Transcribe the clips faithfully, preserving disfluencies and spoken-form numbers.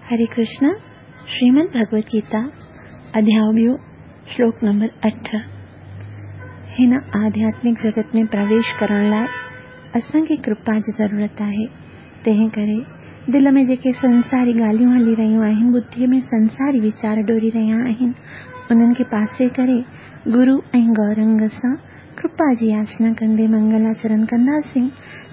हरे कृष्ण। श्रीमद् भगवत गीता अध्याय ॿियो श्लोक नंबर अठ। हिन आध्यात्मिक जगत में प्रवेश करण लाइ असांखे कृपा जी ज़रूरत आहे। तंहिं करे दिल में जेके संसारी ॻाल्हियूं हली रहियूं आहिनि, बुद्धीअ में संसारी वीचार डोरी रहिया आहिनि, उन्हनि खे पासे करे गुरू ऐं गौरंग सां कृपा जी याचना कंदे मंगलाचरण कंदासीं,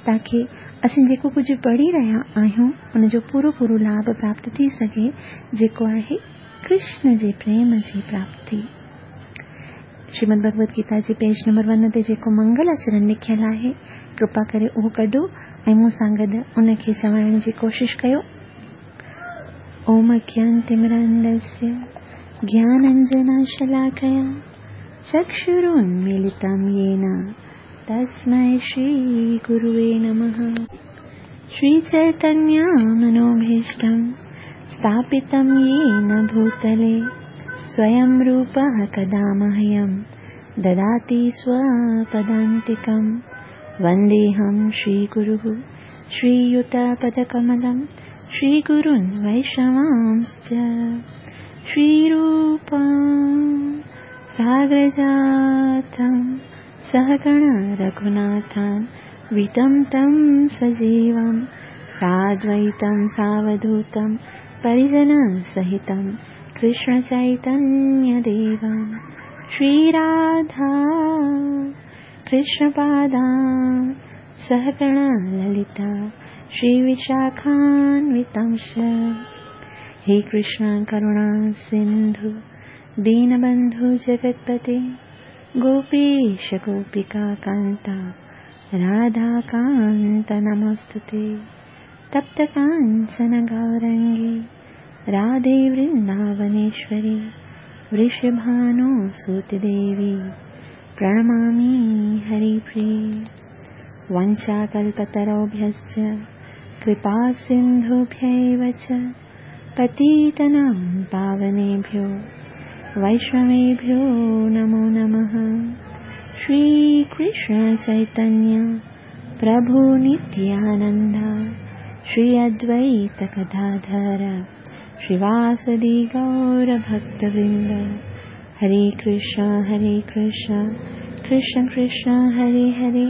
ताकी असीं जेको कुझु पढ़ी रहिया आहियूं उनजो पूरो पूरो लाभ प्राप्त थी सघे, जेको आहे कृष्ण जे प्रेम जी प्राप्ति। श्रीमद् भगवत गीता जे पेज नंबर वन ते जेको मंगलाचरण लिखियल आहे, कृपा करे उहो कढो ऐं मूं सां गॾु उनखे चवाइण जी कोशिश कयो। ओम अज्ञानतिमिरान्धस्य ज्ञानाञ्जनशलाकया चक्षुरुन्मीलितं येन तस्मै श्रीगुरुवे नमः। श्रीचैतन्यमनोभीष्टं स्थापितं येन भूतले स्वयं रूपः कदा मह्यं ददाति स्वपदान्तिकं। वन्देऽहं श्रीगुरुः श्रीयुतपदकमलं श्रीगुरुन् वैष्णवांश्च। श्रीरूपं सागरजातं सहगण रघुनाथं वितं तं सजीवं साद्वैतं सावधूतं परिजनसहितं कृष्णचैतन्यदेवं। श्रीराधा कृष्णपादां सहगण ललिता श्रीविशाखान्वितांश्च। हे कृष्ण करुणा सिन्धु दीनबन्धु जगत्पते गोपीश गोपिका कान्ता राधाकान्त नमोऽस्तुते। तप्त काञ्चन गौरङ्गी राधे वृन्दावनेश्वरी वृषभानुसुते देवी प्रणमामि हरिप्रिये। वञ्चाकल्पतरुभ्यश्च कृपा सिन्धुभ्यैव च पतितानां पावनेभ्यो वैष्णवेभ्यो नमो नमः। श्री कृष्ण चैतन्य प्रभु नित्यानंद श्री अद्वैत गदाधर श्रीवासदि गौर भक्तवृंद। हरे कृष्ण हरे कृष्ण कृष्ण कृष्ण हरे हरे,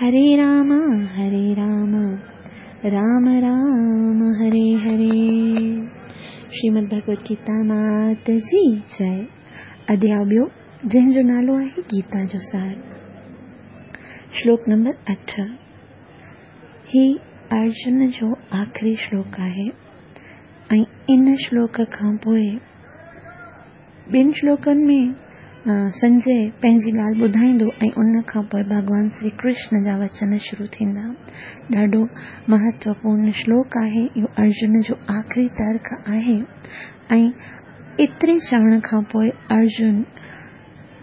हरे राम हरे राम राम राम हरे हरे। श्रीमद् भगवत गीता मात जी जय। अध्याय ॿियो जंहिंजो नालो आहे गीता जो सार, श्लोक नंबर अठ। ही अर्जुन जो आख़िरी श्लोक आहे ऐं इन श्लोक खां पोइ ॿिनि श्लोकनि में संजय पंहिंजी ॻाल्हि ॿुधाईंदो ऐं उन खां पोइ भॻवान श्री कृष्ण जा वचन शुरू थींदा। ॾाढो महत्वपूर्ण श्लोक आहे इहो, अर्जुन जो आख़िरी तर्क आहे ऐं एतिरे चवण खां पोइ अर्जुन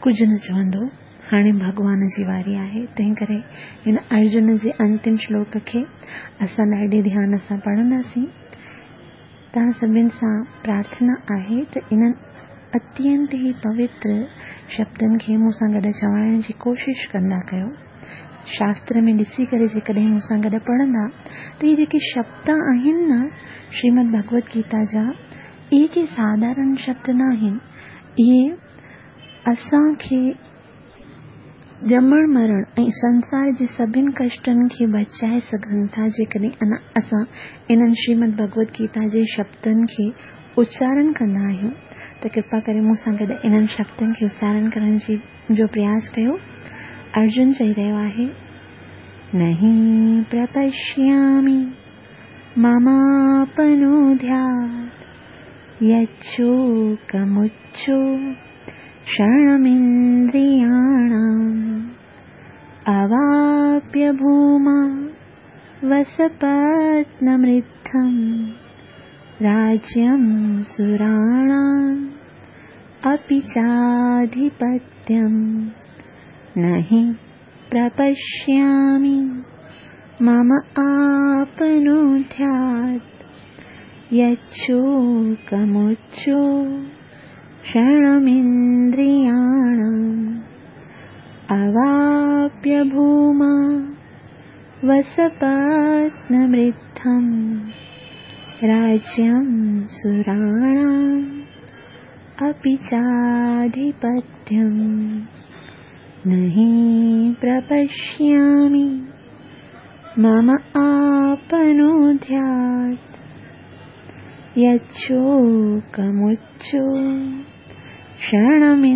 कुझु न चवंदो, हाणे भॻवान जी वारी आहे। तंहिं करे हिन अर्जुन जे अंतिम श्लोक खे असां ॾाढे ध्यान सां पढ़ंदासीं। तव्हां सभिनि सां प्रार्थना आहे त इन्हनि अत्यंत ई पवित्र शब्दनि खे मूं सां गॾु चवाइण जी कोशिश कंदा कयो। शास्त्र में ॾिसी करे जेकॾहिं मूं सां गॾु पढ़ंदा त इहे जेके शब्द आहिनि न श्रीमद् भगवत गीता जा, इहे के साधारण शब्द न आहिनि। इहे असांखे ॼमण मरण ऐं संसार जे सभिनि कष्टनि खे बचाए सघनि था, जेकॾहिं असां इन्हनि श्रीमद् भगवत गीता जे शब्दनि खे उच्चारण कंदा आहियूं। त कृपा करे मूं सां गॾु इन्हनि शब्दनि खे उच्चारण करण जी जो प्रयास कयो। अर्जुन चई रहियो आहे, नहि प्रपश्यामि ममापनुध्यात् यच्छोकमुच्छो शरणमिन्द्रियाणाम् अवाप्य भूमा वसपत्नमृद्धं राज्यं सुराणाम् अपि चाधिपत्यं। नहि प्रपश्यामि मम आपनुध्यात् यच्छोकमुच्छो शरणमिन्द्रियाणाम् अवाप्य भूमा वसपत्नमृद्धं राज्यं सुराणाम् अपि चाधिपत्यं नहि प्रपश्यामि मम आपनोद्यात् यच्छोकमुच्चो क्षणमिन्द्रियाणाम्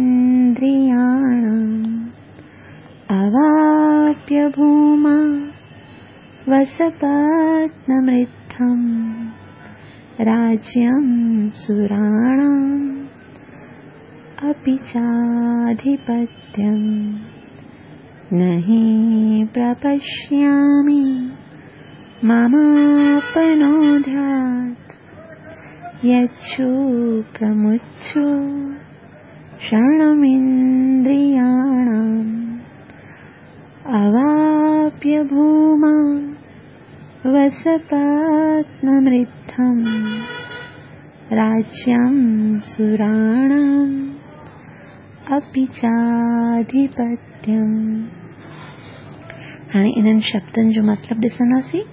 अवाप्य भूमा वसपत्नमृद्धं राज्यं सुराणाम् अपि चाधिपत्यं नहि प्रपश्यामि ममापनोद्यात् यच्छोकमुच्चो क्षणमिन्द्रियाणाम् अवाप्य भूमा वसपत्नमृद्धं राज्यं सुराणाम् अपि चाधिपत्यम्। हाणे इन्हनि शब्दनि जो मतिलबु ॾिसंदासीं।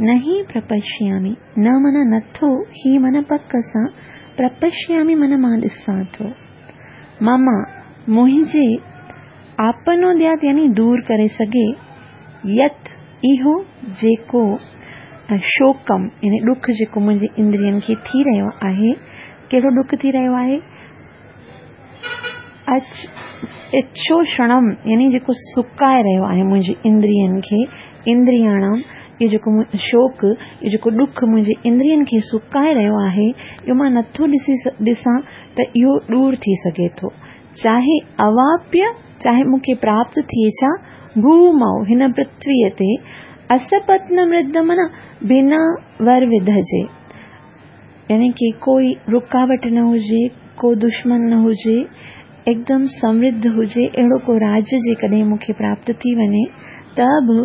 नहि प्रपश्यामि, न माना नथो, ही माना पक सां, प्रपश्यामि माना मां ॾिसां थो। मम मुंहिंजे आपनोद्यात यानी दूर करे सघे, यत इहो जेको शोकम यानी ॾुख जेको मुंहिंजे इंद्रियनि खे थी रहियो आहे। कहिड़ो ॾुख थी रहियो आहे? अच इच्छोषणम यानी जेको सुकाए रहियो आहे मुंहिंजे इंद्रियनि खे, इंद्रियाणाम इहो जेको शोक, इहो जेको ॾुख मुंहिंजे इंद्रियनि खे सुकाए रहियो आहे, इहो मां नथो ॾिसी ॾिसां त इहो दूर थी सघे थो। चाहे अवाप्य, चाहे मूंखे प्राप्त थिए छा, भूमौ हिन पृथ्वीअ ते, असपत्न मृद माना बिना वर विध जे, यानी कि कोई रुकावट न हुजे, को दुश्मन न हुजे, एकदम समृद्ध हुजे, अहिड़ो को राज्य जेकॾहिं मूंखे प्राप्त थी वञे त बि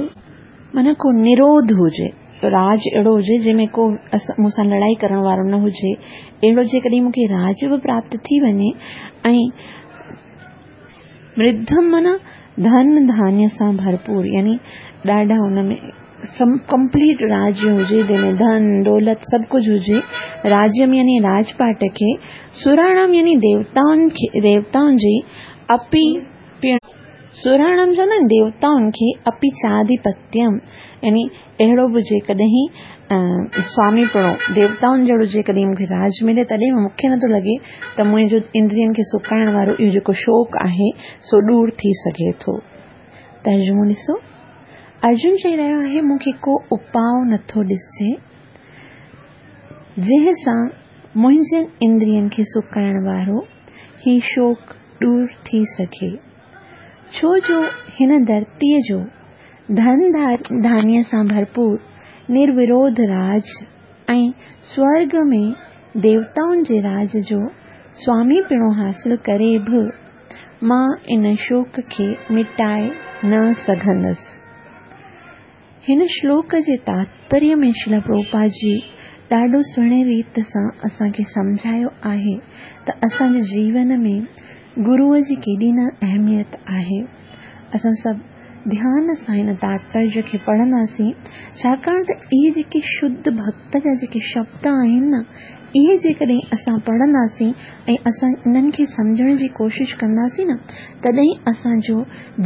माना को निरोध हुजे, राज अहिड़ो हुजे जंहिंमें को मूंसां लड़ाई करण वारो न हुजे, अहिड़ो जेकॾहिं मूंखे राज बि प्राप्त थी वञे। ऐं मृद्धम माना धन धान्य सां भरपूर, यानी ॾाढा हुन में कंप्लीट राज्य हुजे जंहिंमें धन दौलत सभु कुझु हुजे। राज्य में यानी राजपाट खे, सुराणाम यानी देवताउनि खे, देवताउनि जी अपि पिण, सुराणाम चवंदा आहिनि देवताउनि खे, अपि चाधिपत्यम यानी अहिड़ो बि जेकॾहिं स्वामीपणो देवताउनि जहिड़ो जेकॾहिं मूंखे राज मिले तॾहिं मूंखे नथो लॻे त मुंहिंजो इंद्रियनि खे सुकाइण वारो इहो जेको शौक़ आहे सो दूर थी सघे थो। तर्जुमो ॾिसो, अर्जुन चई रहियो आहे मूंखे को उपाउ नथो ॾिसजे जंहिं सां मुंहिंजनि इंद्रियनि खे सुकाइण वारो ही शौक़ दूर थी सघे, छो जो हिन धरतीअ जो धन धान्य सां भरपूर निर्विरोध राज ऐं स्वर्ग में देवताउनि जे राज जो स्वामीपणो हासिल करे बि मां इन शोक खे मिटाए न सघंदसि। हिन श्लोक जे तात्पर्य में श्रील प्रभुपाद जी ॾाढो सुहिणे रीत सां असांखे सम्झायो आहे त असांजे जीवन में गुरूअ जी केॾी न अहमियत आहे। असां सभु ध्यान सां हिन तात्पर्य खे पढ़ंदासीं, छाकाणि त इहे जेके शुद्ध भक्त जा जेके शब्द आहिनि न, इहे जेकॾहिं असां पढ़ंदासीं ऐं असां इन्हनि खे सम्झण जी कोशिश कंदासीं न, तॾहिं असांजो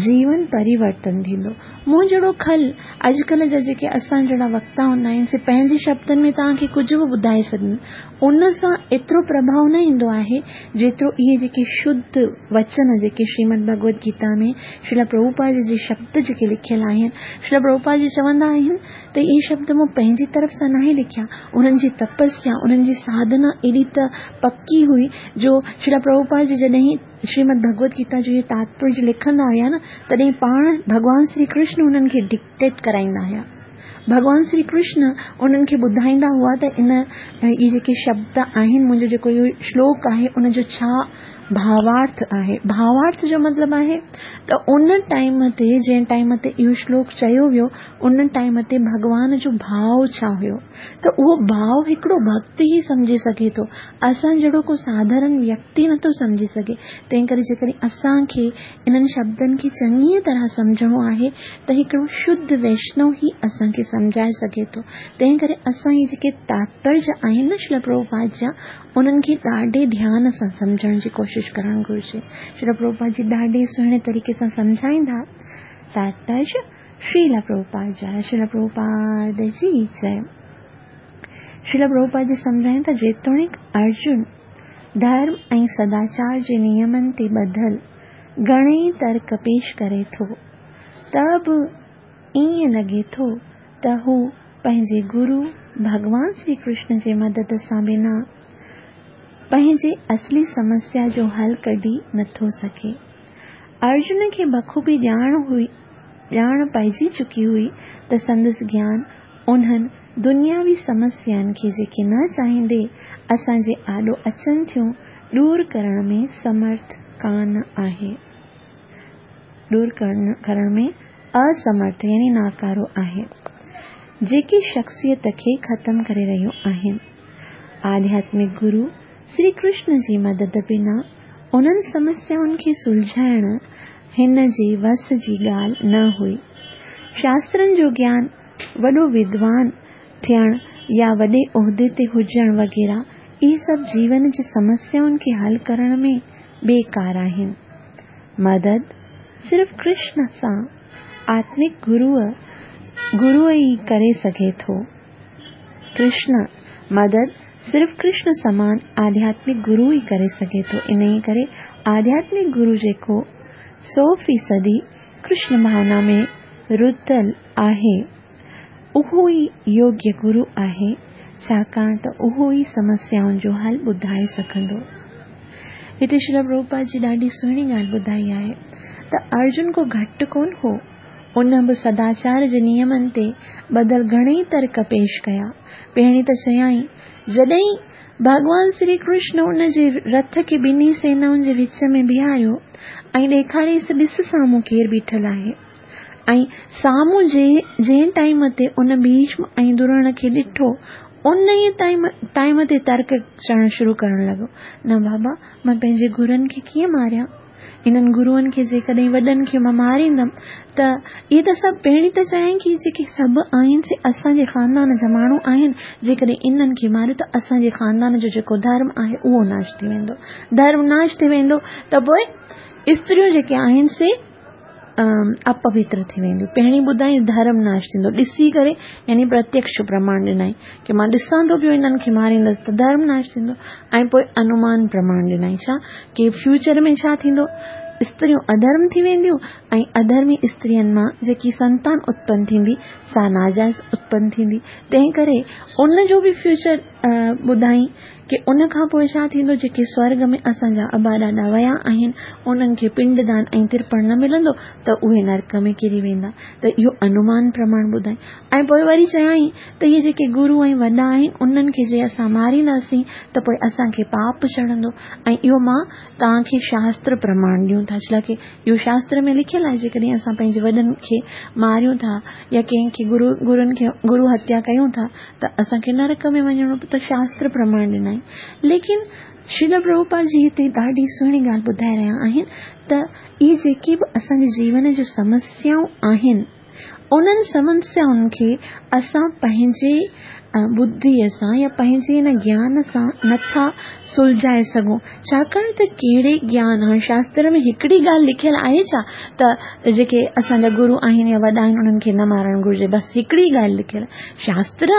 जीवन परिवर्तन थींदो। मूं जहिड़ो खल अॼुकल्ह जा जेके असां जहिड़ा वक्ता हूंदा आहिनि से पंहिंजे शब्दनि में तव्हांखे कुझु बि ॿुधाए सघनि, उन सां एतिरो प्रभाव न ईंदो आहे जेतिरो इहे जेके शुद्ध वचन जेके श्रीमद भगवद गीता में श्रील प्रभुपाद जे शब्द जेके लिखियल आहिनि। श्रील प्रभुपाद जी चवंदा आहिनि त इहे शब्द मूं पंहिंजी तरफ़ सां नाहे लिखिया, उन्हनि जी तपस्या, उन्हनि जी साधना एॾी त पकी हुई जो श्रील प्रभुपाद जी जॾहिं श्रीमद भगवद गीता जो इहो तात्पर्य लिखंदा हुया न, तॾहिं पाण भॻवान श्री कृष्ण उन्हनि खे डिक्टेट कराईंदा हुया। भॻवान श्री कृष्ण उन्हनि खे ॿुधाईंदा हुआ त इन इहे जेके शब्द आहिनि, मुंहिंजो जेको इहो श्लोक आहे उनजो छा भावार्थ आहे। भावार्थ जो मतिलबु आहे त उन टाइम ते जंहिं टाइम ते इहो श्लोक चयो वियो उन टाइम ते भॻवान जो भाव छा हुयो, त उहो भाव हिकिड़ो भक्त ई सम्झी सघे थो, असां जहिड़ो को साधारण व्यक्ति नथो सम्झी सघे। तंहिं करे जेकॾहिं असांखे इन्हनि शब्दनि खे चङीअ तरह सम्झणो आहे त हिकिड़ो शुद्ध वैष्णव ई असांखे اسان کي سمجهائي سگهي ٿو. تنهن ڪري اسان اهي جيڪي تاتپريه آهن نه شريل پرڀوپاد جا، انهن کي ڏاڍي ڌيان سان سمجهڻ جي ڪوشش ڪرڻ گهرجي. شريل پرڀوپاد جي ڏاڍي سهڻي طريقي سان سمجهائيندا. تاتپريه شريل پرڀوپاد جا، شريل پرڀوپاد جي جئي. شريل پرڀوپاد جي سمجهائين ٿا، جيتوڻيڪ ارجن ڌرم ۽ سداچار جي نيمن تي ٻڌل گهڻيئي ترڪ پيش ڪري ٿو، ته به ائين لڳي ٿو ته هو پنهنجي گرو ڀڳوان شري ڪرشن جي مدد سان بنا پنهنجي اصلي سمسيا جو حل ڪڍي نٿو سگهي. ارجن کي بخوبي ڄاڻ هئي ڄاڻ پئجي چڪي هئي ته سندس گيان انهن دنياوي سمسيائن کي جيڪي نه چاهيندي اسان جي آڏو اچن ٿيون ڏور ڪرڻ ۾ سمرٿ ڪانه آهي، ڏور ڪرڻ ۾ اسمرٿ يعني ناڪارو آهي، جيڪي شخصيت کي ختم ڪري رهيون آهن. آڌياتمڪ گرو شري ڪرشن جي مدد بنا انهن سمسيائن کي سلجهائڻ هن جي وس جي ڳالهه نه هئي. شاسترن جو گيان، وڏو ودوان ٿيڻ يا وڏي عهدي تي هجڻ وغيره اهي سڀ جيون جي سمسيائن کي حل ڪرڻ ۾ بيڪار آهن. مدد صرف ڪرشن سان آتمڪ گروء گرو ئي ڪري سگهي ٿو. ڪرشن مدد صرف ڪرشن سمان آڌياتمڪ گرو ئي ڪري سگهي ٿو. انهيء ڪري آڌياتمڪ گرو جيڪو سؤ فيصدي ڪرشن ڀاونا ۾ رتل آهي، اهو ئي يوگيه گرو آهي، ڇاڪاڻ ته اهو ئي سمسيائن جو حل ٻڌائي سگهندو. هتي شريل پرڀوپاد جي ڏاڍي سهڻي ڳالهه ٻڌائي آهي ته ارجن ڪو گهٽ ڪونه هو. ان به سداچار جي نيمن تي ٻڌل گهڻيئي ترڪ پيش ڪيا. پهرين ته چيائين، جڏهن ڀڳوان شري ڪرشن ان جي رٿ کي ٻنهي سينائن جي وچ ۾ بيهاريو ۽ ڏيکاريس ڏس سامهون ڪير بيٺل آهي، ۽ سامهون جي جنهن ٽائيم تي ان ڀيشم ۽ درڻ کي ڏٺو، ان ئي ٽائيم ٽائيم تي ترڪ چوڻ شروع ڪرڻ لڳو، نه بابا، مان پنهنجي گرن کي ڪيئن ماريان؟ انهن گروئن کي جيڪڏهن وڏن کي مان ماريندم ته اهي ته سڀ، پهرين ته چيائين ڪي جيڪي سڀ آهن سي اسان جي خاندان جا ماڻهو آهن، جيڪڏهن انهن کي ماريو ته اسان جي خاندان جو جيڪو ڌرم آهي اهو ناش ٿي ويندو. ڌرم ناش ٿي ويندو ته پوء استريون جيڪي آهن سي اپوتر ٿي وينديون. پهرين ٻڌائين ڌرم ناش ٿيندو، ڏسي ڪري يعني پرتيڪش پرماڻ ڏنائين ڪي مان ڏسان ٿو پيو انهن کي ماريندس ته ڌرم ناش ٿيندو، ۽ پوء انومان پرماڻ ڏنائين ڇا ڪي فيوچر ۾ ڇا ٿيندو، استريون اڌرم ٿي وينديون ۽ اڌرمي استرين مان جيڪي سنتان اتپن ٿيندي سا ناجائز اتپن ٿيندي. تنهن ڪري ان جو به فيوچر ٻڌائين ڪي ان کان پوء ڇا ٿيندو، جيڪي سورڳ ۾ اسان جا ابا ڏاڏا ويا آهن انهن کي پنڊ دان ۽ ترپڻ نه ملندو ته اهي نرڪ ۾ ڪري ويندا. ته اهو انومان پرماڻ ٻڌائين. ۽ پوء وري چيائين ته اهي جيڪي گرو ۽ وڏا آهن انهن کي جي اسان مارينداسين ته پوء اسان کي پاپ چڙهندو، ۽ اهو مان توهان کي شاستر پرماڻ ڏيون ٿا، ڇا لاء اهو شاستر ۾ لکيل آهي جيڪڏهن اسان پنهنجي وڏن کي ماريون ٿا يا ڪنهن کي گرو گرن کي گرو هتيا ڪيون ٿا ته اسان کي نرڪ ۾ وڃڻو ته شاستر پرماڻ ڏنائين. ليڪن شريل پرڀوپاد جي هتي ڏاڍي سهڻي ڳالهه ٻڌائي رهيا آهن ته اهي جيڪي به اسان جي جيون جون سمسيائون آهن انهن سمسيائن کي اسان پنهنجي ٻڌيء سان يا پنهنجي ان گيان سان نٿا سلجهائي سگهون، ڇاڪاڻ ته ڪهڙي گيان، هاڻي شاستر ۾ هڪڙي ڳالهه لکيل آهي ڇا ته جيڪي اسان جا گرو آهن يا وڏا آهن انهن کي نه مارڻ گهرجي، بس هڪڙي ڳالهه لکيل آهي. شاستر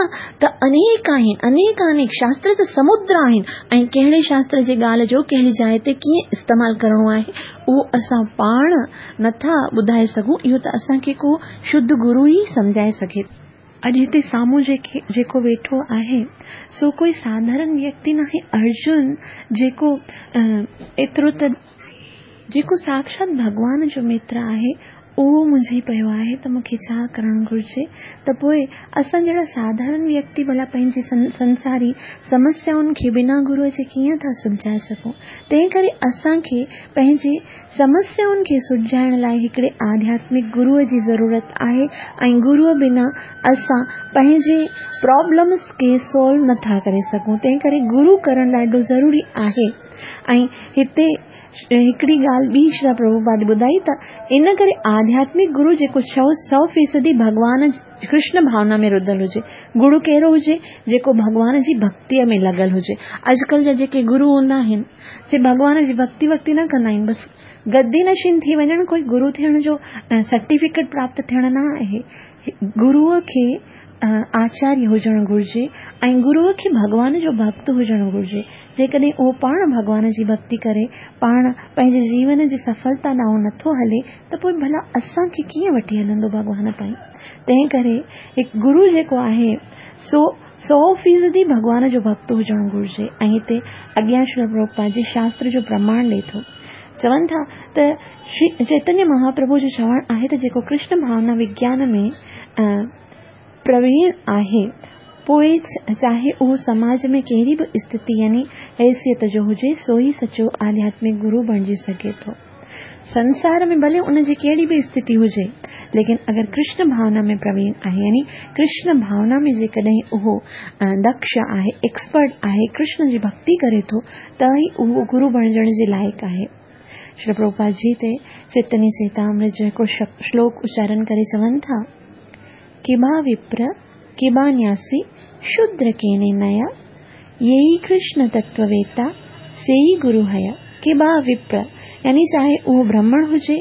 ته انيڪ آهن، انيڪ انيڪ شاستر ته سمندر آهن، ۽ ڪهڙي شاستر جي ڳالهه جو ڪهڙي جاء تي ڪيئن استعمال ڪرڻو آهي اهو اسان پاڻ نٿا ٻڌائي سگهون، اهو ته اسان کي ڪو شڌ گرو ئي سمجهائي سگهي. اڄ هتي سامهون جيڪي جيڪو ويٺو آهي سو ڪوئي ساڌارڻ ويڪتي ناهي، ارجن جيڪو ايترو ته جيڪو ساڪشات ڀڳوان جو متر آهي اهو منجهي پيو آهي ته مون کي ڇا ڪرڻ گهرجي. ته پوء اسان جهڙا ساڌارڻ ويڪتي ڀلا پنهنجي سنساري سمسيائن کي بنا گروء جي ڪيئن ٿا سلجهائي سگهون؟ تنهن ڪري اسان کي پنهنجي سمسيائن کي سلجهائڻ لاء هڪڙي آڌياتمڪ گروء جي ضرورت آهي، ۽ گروء بنا اسان پنهنجي پرابلمس کي سالو نٿا ڪري سگهون. تنهن ڪري گرو ڪرڻ ڏاڍو ضروري آهي. ۽ هتي हिकिड़ी ॻाल्हि ॿी श्री प्रभुपाद ॿुधाई त इन करे आध्यात्मिक गुरु जेको सौ सौ फ़ीसदी भॻवान कृष्ण भावना में रुधल हुजे। गुरु कहिड़ो हुजे? जेको भॻवान जी भक्तीअ में लॻल हुजे। अॼुकल्ह जा जेके गुरु हूंदा आहिनि से भॻवान जी भक्ति वक्ति न कंदा आहिनि, बसि गद्दी नशीन थी वञणु कोई गुरु थियण जो सर्टिफिकेट प्राप्त थियणु न आहे। गुरूअ खे आचार्य हुजणु घुरिजे ऐं गुरूअ खे भॻवान जो भक्त हुजणु घुरिजे। जेकॾहिं उहो पाण भॻवान जी भक्ति करे, पाण पंहिंजे जीवन जी सफलता ॾांहुं नथो हले त पोइ भला असांखे कीअं वठी हलंदो भॻवान ताईं? तंहिं करे हिकु गुरू जेको आहे सो सौ फ़ीसदी भॻवान जो भक्त हुजणु घुरिजे। ऐं हिते अॻियां श्री प्रभुपाद जी शास्त्र जो प्रमाण ॾिए थो। चवनि था त श्री चैतन्य महाप्रभु जो चवणु आहे त जेको कृष्ण भावना विज्ञान में प्रवीण आहे, पोइ चाहे उहो समाज में कहिड़ी बि स्थिति यानी हैसियत जो हुजे, सो ई सचो आध्यात्मिक गुरू बणिजी सघे थो। संसार में भले उनजी कहिड़ी बि स्थिति हुजे, लेकिन अगरि कृष्ण भावना में प्रवीण आहे, यानी कृष्ण भावना में जेकॾहिं उहो दक्ष आहे, एक्सपर्ट आहे, कृष्ण जी भक्ति करे थो, त ई उहो गुरू बणिजण जे लाइक़ आहे। श्री प्रभुपाद जी ते चैतन्य चरितामृत जो हिकिड़ो श्लोक उच्चारण करे चवनि था, किबा विप्र किबा न्यासी शूद्र केने नया, येई कृष्ण तत्ववेता सेई गुरु हया। किबा विप्र यानी चाहे उहो ब्राह्मण हुजे,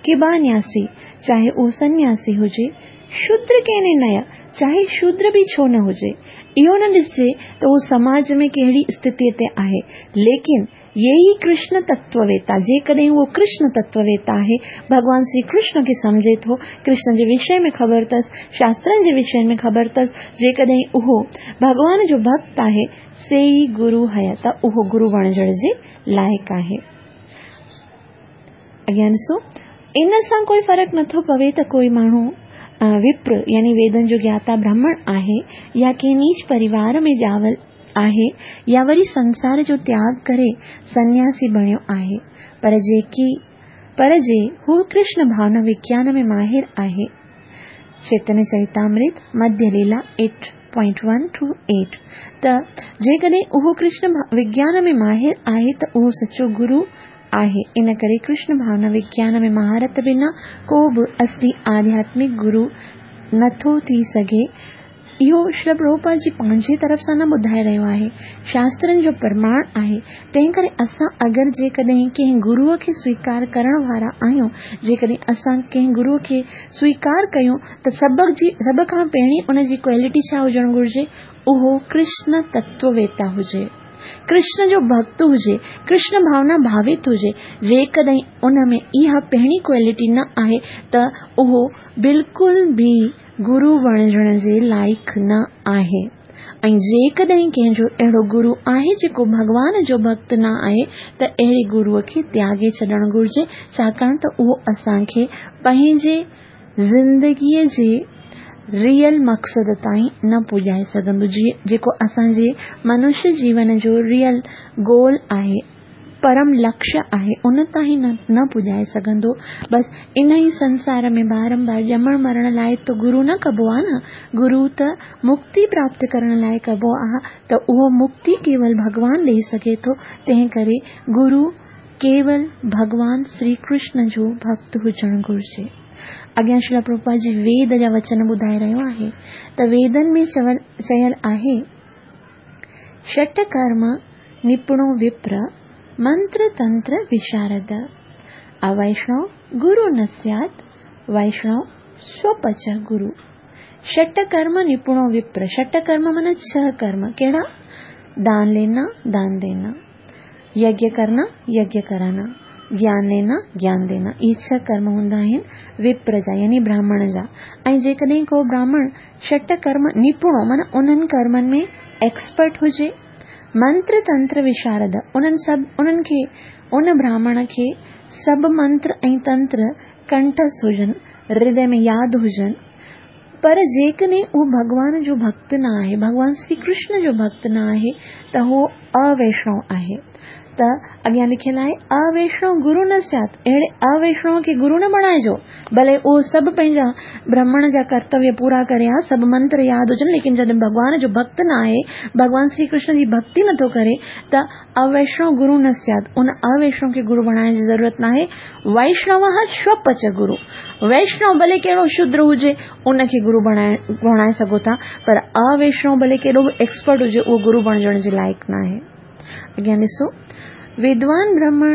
किबा न्यासी चाहे उहो सन्यासी हुजे, शूद्र केने नया चाहे शूद्र बि छो न हुजे, इहो न ॾिसजे त उहो समाज में कहिड़ी स्थितीअ ते आहे, लेकिन येई कृष्ण तत्ववेता, जेकॾहिं उहो कृष्ण तत्ववेता आहे, भॻवान श्री कृष्ण खे सम्झे थो, कृष्ण जे विषय में ख़बर अथसि, शास्त्रनि जे विषय में ख़बर अथसि, जेकॾहिं उहो भॻवान जो भक्त आहे, से ई गुरू हया, त उहो गुरू बणिजण जे लाइक़ आहे। अॻियां ॾिसो, इन सां कोई फ़र्क़ु नथो पवे त कोई माण्हू विप्र यानी वेदनि जो ज्ञाता ब्राह्मण आहे या कंहिं नीच परिवार में ॼावल आहे या वरी संसार जो त्याग करे सन्यासी बणियो आहे, पर जेकी पर जे हू कृष्ण भावना विज्ञान में माहिर आहे। चैतन्य चरितामृत मध्य लीला eight point one two eight. त जेकॾहिं उहो कृष्ण विज्ञान में माहिर आहे त उहो सचो गुरू आहे। इन करे कृष्ण भावना विज्ञान में महारत बिना को बि असली आध्यात्मिक गुरू नथो थी सघे। इहो श्री प्रभुपाद जी पंहिंजे तरफ़ सां न ॿुधाए रहियो आहे, शास्त्रनि जो प्रमाण आहे। तंहिं करे असां अगरि जेकॾहिं कंहिं गुरूअ खे स्वीकार करण वारा आहियूं, जेकॾहिं असां कंहिं गुरूअ खे स्वीकार कयूं त सभ जी सभ खां पहिरीं उनजी क्वालिटी छा हुजणु घुरिजे? उहो कृष्ण तत्ववेता हुजे, कृष्ण जो भक्त हुजे, कृष्ण भावना भावित हुजे। जेकॾहिं उन में इहा पहिरीं क्वालिटी न आहे त उहो बिल्कुलु बि गुरू बणिजण जे लाइक़ न आहे। ऐं जेकॾहिं कंहिंजो अहिड़ो गुरू आहे जेको भॻवान जो भक्त न आहे त अहिड़े गुरूअ खे त्यागे छॾणु घुरिजे, छाकाणि त उहो असांखे पंहिंजे ज़िंदगीअ जे रियल मक़सद ताईं न पुॼाए सघंदो, जेको असांजे मनुष्य जीवन जो रियल गोल आहे, परम लक्ष्य आहे, उन ताईं न, न पुॼाए सघंदो। बसि इन ई संसार में बारंबार ॼमण मरण लाइ त गुरू न कबो आहे न, गुरू त मुक्ति प्राप्त करण लाइ कबो आहे, त उहो मुक्ति केवल भॻवान ॾेई सघे थो। तंहिं करे गुरू केवल भॻवान श्री कृष्ण जो भक्त हुजणु घुरिजे। अॻियां श्रील प्रभुपाद जी वेद जा वचन ॿुधाए रहियो आहे त वेदनि में चवल चयल आहे, षट कर्म निपुणो विप्र मंत्र तंत्र विशारद, अवैष्णव गुरु न स्यात् वैष्णव स्वपच गुरु। षट कर्म निपुणो विप्र, षट कर्म माना छह कर्म, कहिड़ा? दान लेना दान देना, यज्ञ करना यज्ञ कराना, ज्ञान लेना ज्ञान देना, इहे छह कर्म हूंदा आहिनि विप्र जा यानी ब्राह्मण जा। ऐं जेकॾहिं को ब्राह्मण षट कर्म निपुणो माना उन्हनि कर्मनि में एक्सपर्ट हुजे, मंत्र तंत्र विशारद, उन्हनि सभु उन्हनि खे उन ब्राह्मण खे सभु मंत्र ऐं तंत्र कंठस्थ हुजनि, हृदय में यादि हुजनि, पर जेकॾहिं उहो भॻवान जो भक्त न आहे, भॻवान श्री कृष्ण जो भक्त न आहे, त उहो अवैष्णव आहे। ته اڳيان لکيل آهي اويشڻو گرو نه سيات، اهڙي اويشڻو کي گرو نه بڻائجو. ڀلي اهو سڀ پنهنجا برهمڻ جا ڪرتويه پورا ڪري ها، سڀ منتر ياد هجن، ليڪن جڏهن ڀڳوان جو ڀڳت نه آهي، ڀڳوان شري ڪرشن جي ڀڳتي نٿو ڪري ته اويشڻو گرو نه سيات، ان اويشڻو کي گرو بڻائڻ جي ضرورت نه آهي. ويشنو شوپچ گرو، ويشنو ڀلي ڪهڙو شودر هجي ان کي گرو بڻائي بڻائي سگهو ٿا، پر اويشنو ڀلي ڪيڏو به ايڪسپرٽ هجي اهو گرو بڻجڻ جي لائق نه آهي. اڳيان ڏسو، ودوان برهمڻ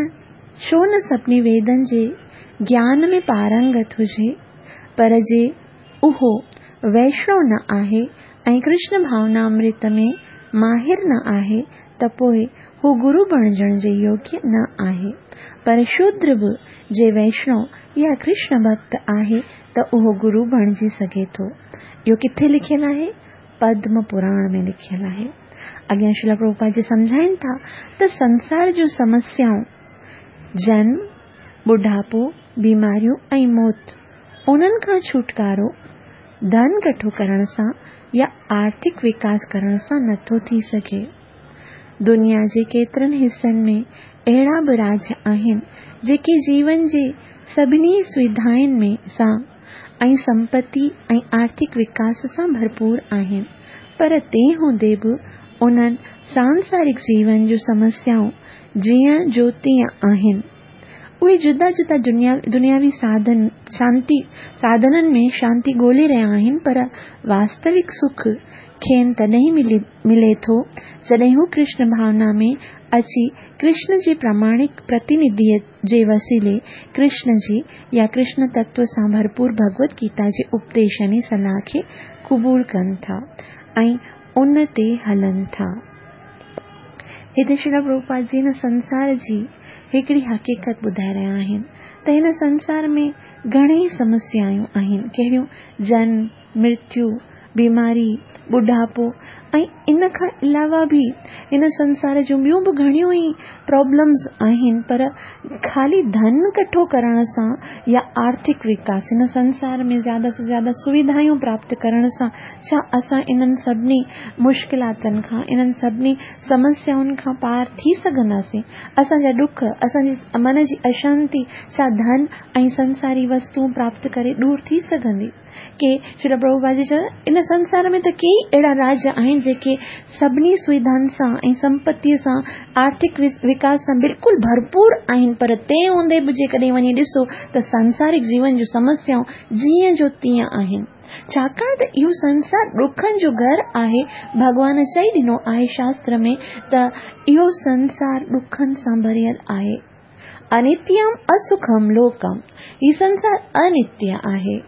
ڇو نه سڀني ويدن جي گيان ۾ پارنگت هجي، پر جي اهو ويشنو نه آهي ۽ ڪرشن ڀاونا امرت ۾ ماهر نه آهي ته پوءِ هو گرو بڻجڻ جي يوگيه نه آهي. پر شودر به جي ويشنو يا ڪرشن ڀڳت آهي ته اهو گرو بڻجي سگهي ٿو. اهو ڪٿي لکيل آهي؟ پدم پراڻ ۾ لکيل آهي. اڳيان شريل پرڀوپاد جي سمجهائين ٿا ته سنسار جون سمسيائون جنم، ٻڍاپو، بيماريون ۽ موت، انهن کان ڇوٽڪارو ڌن ڪٺو ڪرڻ سان يا آرٿڪ وڪاس ڪرڻ سان نٿو ٿي سگهي. دنيا جي ڪيترن حصن ۾ اهڙا به راجيه آهن جيڪي جيون جي سڀني سوڌائن ۾ سان ۽ سمپتي ۽ آرٿڪ وڪاس سان ڀرپور آهن، پر تنهن هوندي به انهن سانسارڪ جيون جون سمسيائون جيئن جو تيئن آهن. اهي جدا جدا دنيا دنياوي ساڌن شانتي ساڌنن ۾ شانتي ڳولي رهيا آهن، پر واستوڪ سک کين تڏهن ملي ملي ٿو جڏهن هو ڪرشن ڀاونا ۾ اچي ڪرشن جي پراماڻڪ پرتنڌيءَ جي وسيلي ڪرشن جي يا ڪرشن تتو سان ڀرپور ڀڳوت گيتا جي اپديش يعني صلاح کي قبول ڪن ٿا ۽ ان تي هلن ٿا. هتي شريل پرڀوپاد جي هن سنسار جي هڪڙي حقيقت ٻڌائي رهيا آهن ته هن سنسار ۾ گهڻيئي سمسيائون آهن. ڪهڙيون؟ جنم، مرتيو، بيماري، ٻڍاپو ۽ ان کان علاوه به هن سنسار جون ٻيون به گهڻيون ئي پرابلمز آهن، پر خالي ڌن ڪٺو ڪرڻ سان يا آرٿڪ وڪاس، هن سنسار ۾ زياده سي زياده سوڌايون پراپت ڪرڻ سان ڇا اسان انهن سڀني مشڪلاتن کان، انهن سڀني سمسيائن کان پار ٿي سگهنداسين؟ اسان جا ڏک، اسان جي من جي اشانتي ڇا ڌن ۽ سنساري وستوئون پراپت ڪري دور ٿي سگهندي؟ ڪي شريل پرڀوپاد جي چيو ان سنسار ۾ ته ڪيئي اهڙا راجيه آهن جيڪي سڀني سوڌائن سان ۽ سمپتيءَ سان آرٿڪ وڪاس سان بلڪل ڀرپور آهن، پر تنهن هوندي به جيڪڏهن وڃي ڏسو ته سانسارڪ جيون جون سمسيائون جيئن جو تيئن آهن. ڇاڪاڻ ته اهو سنسار ڏکن جو گهر آهي. ڀڳوان چئي ڏنو آهي شاستر ۾ ته اهو سنسار ڏکن سان ڀريل آهي. انتيم اسکم لوڪم، هي سنسار انتيه آهي.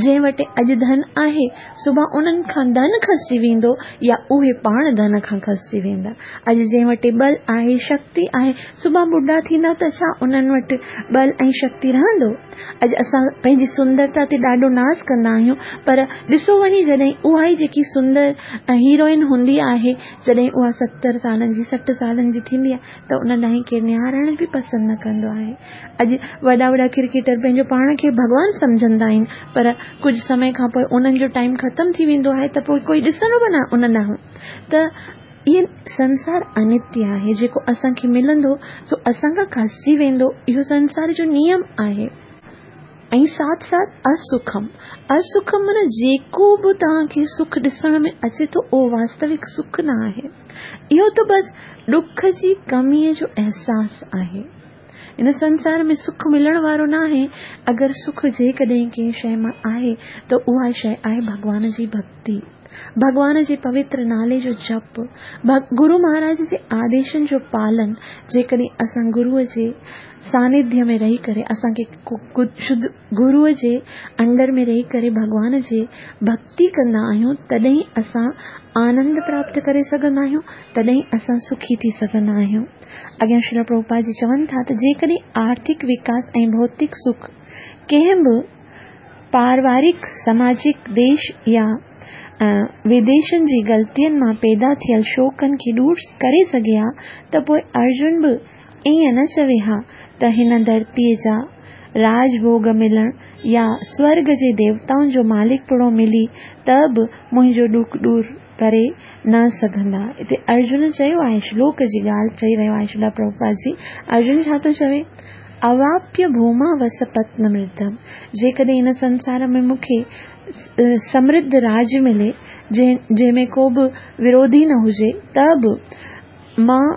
جنهن وٽ اڄ ڌن آهي سڀاڻي انهن کان ڌن کسجي ويندو يا اهي پاڻ ڌن کان کسجي ويندا. اڄ جنهن وٽ ٻل آهي، شڪتي آهي، سڀاڻي ٻڍا ٿيندا ته ڇا انهن وٽ ٻل ۽ شڪتي رهندو؟ اڄ اسان پنهنجي سندرتا تي ڏاڍو ناز ڪندا آهيون، پر ڏسو وڃي جڏهن اها ئي جيڪي سندر هيروئن هوندي آهي، جڏهن اها ستر سالن جي سٺ سالن جي ٿيندي آهي ته ان ڏانهن ڪير نهارڻ به پسند نه ڪندو آهي. اڄ وڏا وڏا ڪرڪيٽر پنهنجو پاڻ کي ڀڳوان سمجهندا آهن، پر ڪجهه سمي کان پوءِ انهن جو ٽائيم ختم ٿي ويندو آهي ته پوءِ ڪوئي ڏسندو به نه ان ڏانهن. ته اهو سنسار انتيه آهي، جيڪو اسان کي ملندو سو اسان کان کسجي ويندو. اهو سنسار جو نيم آهي. ۽ ساٿ ساٿ اسکم، اسکم معنيٰ جيڪو به توهان کي سک ڏسڻ ۾ اچي ٿو اهو واستوڪ سک نه آهي. اهو ته بس ڏک جي ڪميءَ جو احساس آهي. هن سنسار ۾ سک ملڻ وارو نه آهي. اگر سک جيڪڏهن ڪنهن شيءِ مان آهي ته اها شيءِ آهي ڀڳوان جي ڀڳتي، ڀڳوان جي پوتر نالي جو جپ، گرو مهاراج جي آديشن جو پالن. جيڪڏهن اسان گروءَ جي سانڌيه ۾ رهي ڪري، اسان کي شڌ گروءَ جي انڊر ۾ رهي ڪري ڀڳوان جي ڀڳتي ڪندا آهيون، تڏهن اسان آنند پراپت ڪري سگهندا آهيون، تڏهن اسان سکي ٿي سگهندا آهيون. اڳيان شريل پرڀوپاد جي چون ٿا ته جيڪڏهن آرٿڪ وڪاس ۽ ڀوتڪ سک ڪنهن به پاريوارڪ، سماجڪ، ديش يا وديشن جي غلطين مان پيدا ٿيل شوڪن کي دور ڪري سگهي ها ته پوءِ ارجن به ائين نه چوي ها ته هن ڌرتيءَ جا راجڀوڳ ملڻ يا سورڳ جي ديوتائن جو مالڪپڻو ملي ته به منهنجو ڏک دور करे न सघंदा। हिते अर्जुन चयो आहे, श्लोक जी ॻाल्हि चई रहियो आहे श्रील प्रभुपाद जी। अर्जुन छा थो चवे? अवाप्य भूमा वस पत्नमृद्धम, जेकॾहिं हिन संसार में मूंखे समृद्ध राज मिले जंहिं में को बि विरोधी न हुजे त बि मां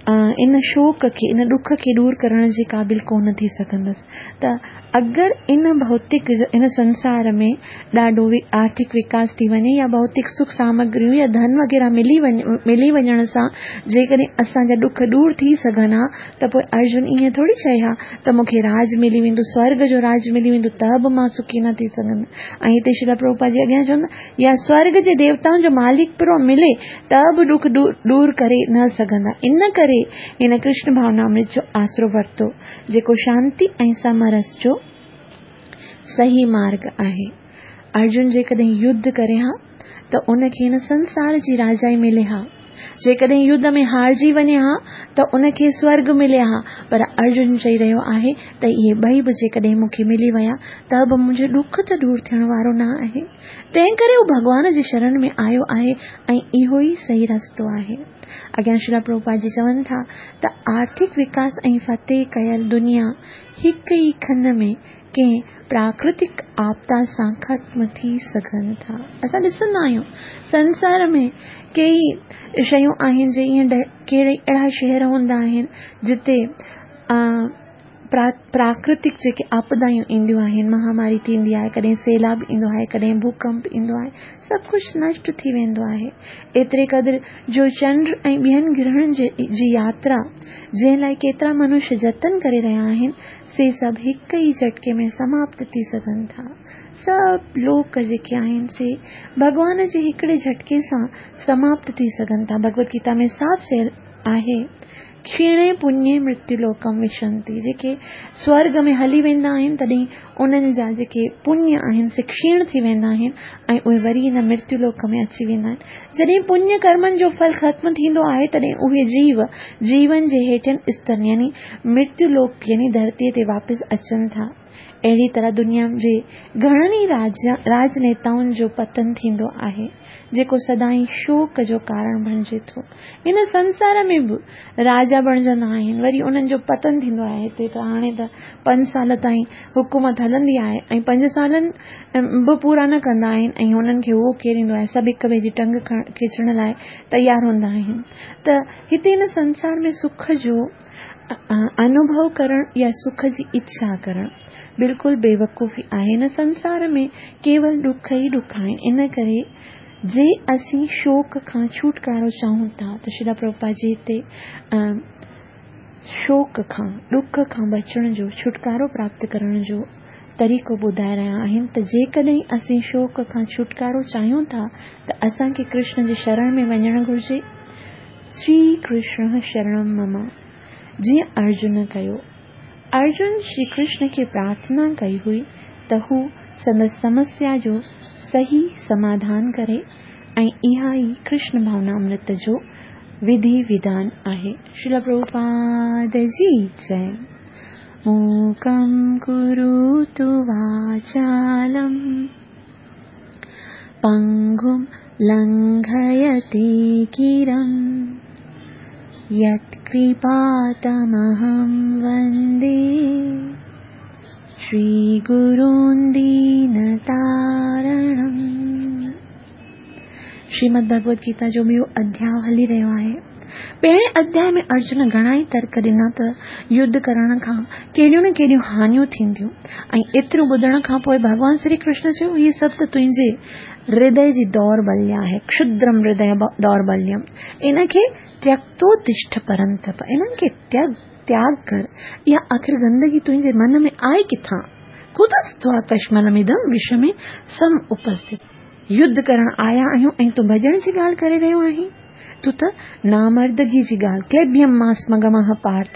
इन शोक खे, इन ॾुख खे दूर करण जे क़ाबिल कोन थी सघंदसि। त अगरि इन भौतिक इन संसार में ॾाढो आर्थिक विकास थी वञे या भौतिक सुख सामग्रियूं या धन वग़ैरह मिली वञ मिली वञण सां जेकॾहिं असांजा ॾुख दूर थी सघनि हा त पोइ अर्जुन ईअं थोरी चए हा त मूंखे राज मिली वेंदो, स्वर्ग जो राज मिली वेंदो त बि मां सुखी न थी सघंदसि। ऐं हिते श्रील प्रभुपाद जी अॻियां चवंदा या स्वर्ग जे देवताउनि जो मालिक पिरो मिले त बि ॾुख दूर करे न सघंदा। इन करे हिन कृष्ण भावनामृत जो आसरो वरितो जेको शांति ऐं समरस जो सही मार्ग आहे। अर्जुन जेकॾहिं युद्ध करे हा त उनखे हिन संसार जी राजाई मिले हा, जेकॾहिं युद्ध में हारजी वञे हा त उनखे स्वर्ग मिले हा, पर अर्जुन चई रहियो आहे त इहे ॿई बि जेकॾहिं मूंखे मिली विया त बि मुंहिंजो ॾुख त दूर थियण वारो न आहे। तंहिं करे हू भॻवान जी शरण में आयो आहे ऐं इहो ई सही रस्तो आहे। अॻियां श्रील प्रभुपाद जी चवनि था त आर्थिक विकास ऐं फतेह कयल दुनिया हिकु ई खन में कंहिं प्राकृतिक आपदा सां ख़त्म थी सघनि था। असां ॾिसंदा आहियूं संसार में केई शयूं आहिनि जे ईअं कहिड़े अहिड़ा शहर हूंदा आहिनि जिते प्राकृतिक जेके आपदायूं ईंदियूं आहिनि, महामारी थींदी आहे, कॾहिं सैलाब ईंदो आहे, कॾहिं भूकंप ईंदो आहे, सभु कुझु नष्ट थी वेंदो आहे। एतिरे क़दुरु जो चंड ऐं ॿियनि ग्रहनि जी यात्रा जंहिं लाइ केतिरा मनुष्य जतन करे रहिया आहिनि से सभु हिकु ई झटके में समाप्त थी सघनि था। सभु लोक जेके आहिनि से भॻवान जे हिकिड़े झटके सां समाप्त थी सघनि था। भगवत गीता में साफ़ चयल आहे, क्षीणे पुण्ये मृत्युलोकम विशंति, जेके स्वर्ग में हली वेंदा आहिनि तॾहिं उन्हनि जा जेके पुण्य आहिनि से क्षीण थी वेंदा आहिनि ऐं उहे वरी हिन मृत्युलोक में अची वेंदा आहिनि। जॾहिं पुण्य कर्मनि जो फल ख़त्म थींदो आहे तॾहिं उहे जीव जीवन जे हेठियनि स्तरनि यानी मृत्युलोक यानी धरतीअ ते वापसि अचनि था। अहिड़ी तरह दुनिया जे घणनि ई राज राजनेताउनि जो पतन थींदो आहे जेको सदाईं शोक जो कारण बणिजे थो। हिन संसार में बि राजा बणिजंदा आहिनि, वरी उन्हनि जो पतन थींदो आहे। हिते त हाणे त पंज साल ताईं हुकूमत हलंदी आहे ऐं पंज सालनि बि पूरा न कंदा आहिनि ऐं हुननि खे उहो केरु ईंदो आहे, सभु हिक ॿिए जी टंग खिचण लाइ तयारु हूंदा आहिनि। त हिते हिन संसार में सुख जो अनुभव करण या सुख जी इच्छा करण बिल्कुलु बेवकूफ़ी आहे। हिन संसार में केवल ॾुख ई ॾुख आहिनि। इन करे जे असीं शोक खां छुटकारो चाहूं था त श्रील प्रभुपाद जी हिते शोक खां, ॾुख खां बचण जो, छुटकारो प्राप्त करण जो तरीक़ो ॿुधाए रहिया आहिनि त जेकॾहिं असीं शोक खां छुटकारो चाहियूं था त असांखे कृष्ण जे शरण में वञणु घुरिजे। श्री कृष्ण शरणम मम, जीअं अर्जुन कयो। अर्जुन श्री कृष्ण खे प्रार्थना कई हुई त हू संदसि समस्या जो सही समाधान करे ऐं इहा ई कृष्ण भावनामृत जो विधि विधान आहे। श्रील प्रभुपाद जी जय। मूकं कुरुतु वाचालं पंगुं लंघयते गिरं यत्कृपातमहं वन्दे श्रीगुरून् दीनतारणम्। श्रीमद् भगवद गीता जो ॿियो अध्याय हली रहियो आहे। पहिरें अध्याय में अर्जुन घणा ई तर्क ॾिना त युद्ध करण खां कहिड़ियूं न कहिड़ियूं हानियूं थींदियूं ऐं एतिरो ॿुधण खां पोइ भॻवान श्री कृष्ण चयो हीअ सभु त तुंहिंजे हृदय जी दौर्बल्य आहे, क्षुद्रम हृदय दौर्बल्यम, इनखे त्यक्तो तिष्ठ परंतप, इन्हनि खे त्याग त्याग कर। इहा आख़िर गंदगी तुंहिंजे मन में आहे किथां? कुतस्त्वा कश्मलमिदं विषमे सम उपस्थित। युद्ध करण आया आहियूं ऐं तूं भॼण जी ॻाल्हि करे रहियो आहीं, तूं त नामर्दगी जी ॻाल्हि, क्लैब्यम मास्मगमः पार्थ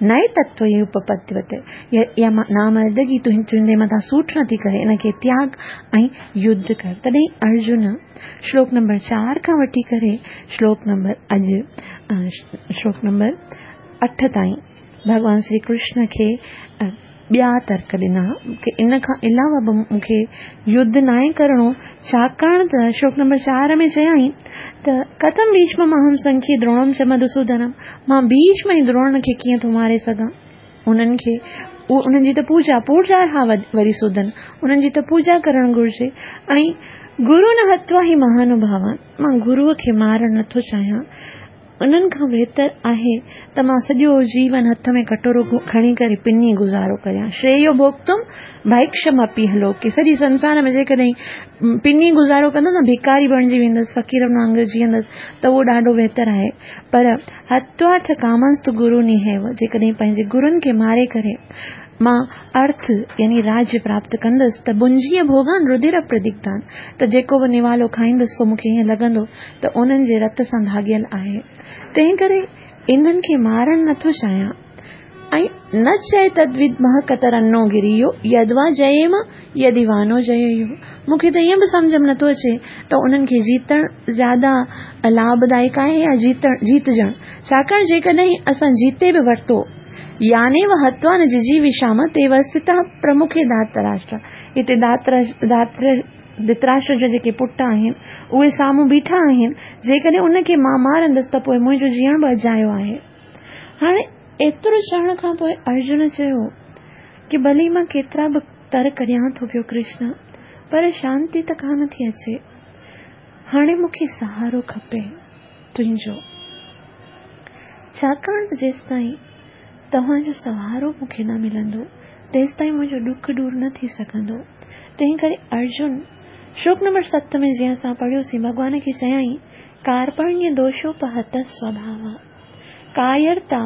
नए तत्व उपपद्यते, इहा नामर्दगी तुंहिंजे मथां सूट नथी करे, इनखे त्याग ऐं युद्ध कर। तॾहिं अर्जुन श्लोक नंबर चार खां वठी करे श्लोक नंबर अॼु श्लोक नंबर अठ ताईं भॻवान श्री कृष्ण खे ٻيا ترڪ ڏنا ڪه ان کان علاوه به مون کي يڌ ناهي ڪرڻو، ڇاڪاڻ ته شلوڪ نمبر چار ۾ چيائين ته ڪٿم ڀيشمم اهم سنکي دروڻم چ مڌوسودنم، مان ڀيشم ۽ دروڻ کي ڪيئن ٿو ماري سگهان؟ انهن کي انهن جي ته پوڄا پوڄا وري سودن، انهن جي ته پوڄا ڪرڻ گهرجي. ۽ گرو نه هتوا هي مهانڀاوان، مان گروءَ کي مارڻ نٿو چاهيان، انهن کان بهتر آهي ته مان سڄو جيون هٿ ۾ ڪٽورو کڻي ڪري پني گذارو ڪريان. شريو ڀوڳتم ڀائڪشم اپي لوڪي، سڄي سنسار ۾ جيڪڏهن پني گذارو ڪندس نه، ڀکاري بڻجي ويندس، فقيرن وانگر جيئندس ته اهو ڏاڍو بهتر آهي. پر هتوا چ ڪامنست گرو نهيو، جيڪڏهن پنهنجي گرن کي ماري ڪري مان ارٿ يعني راجيه پراپت ڪندس ته ڀنجيءَ ڀوڳان رڌر پردگڌان، ته جيڪو به نوالو کائيندس سو مون کي ائين لڳندو ته انهن جي رت سان ڌاڳيل آهي، تنهن ڪري انهن کي مارڻ نٿو چاهيان. ۽ نه چئي تدود مهڪترنو گريو يدوا جيم يدي وانو جيو، مون کي ته ائين به سمجهه ۾ نٿو اچي ته انهن کي جيتڻ زياده لاڀدائڪ آهي يا جيتڻ جيتجڻ، ڇاڪاڻ جيڪڏهن اسان جيتي به ورتو يعني و هتوا نه ججي وشام تي وستتا پرمکي ڌاتراشٽر، هتي ڌاتر ڌاتر ڌتراشٽر جا جيڪي پٽ آهن اهي سامهون بيٺا آهن، جيڪڏهن ان کي مان مارندس ته پوءِ منهنجو جيئڻ به اجايو آهي. هاڻي ايترو چوڻ کان پوءِ ارجن چيو ڪه ڀلي مان ڪيترا به ترڪ ڏيان ٿو پيو ڪرشن، پر شانتي ته ڪانه ٿي اچي، هاڻي مون کي سهارو کپي تنهنجو، ڇاڪاڻ ته جيستائين توهان جو سهارو مون کي نه ملندو تيستائين منهنجو ڏک دور نه ٿي سگهندو. تنهن ڪري ارجن شلوڪ نمبر ست ۾ جيئن اسان پڙهيوسين، ڀڳوان کي چيائين ڪارپڻيه دوشوپهت سوڀاو، ڪايرتا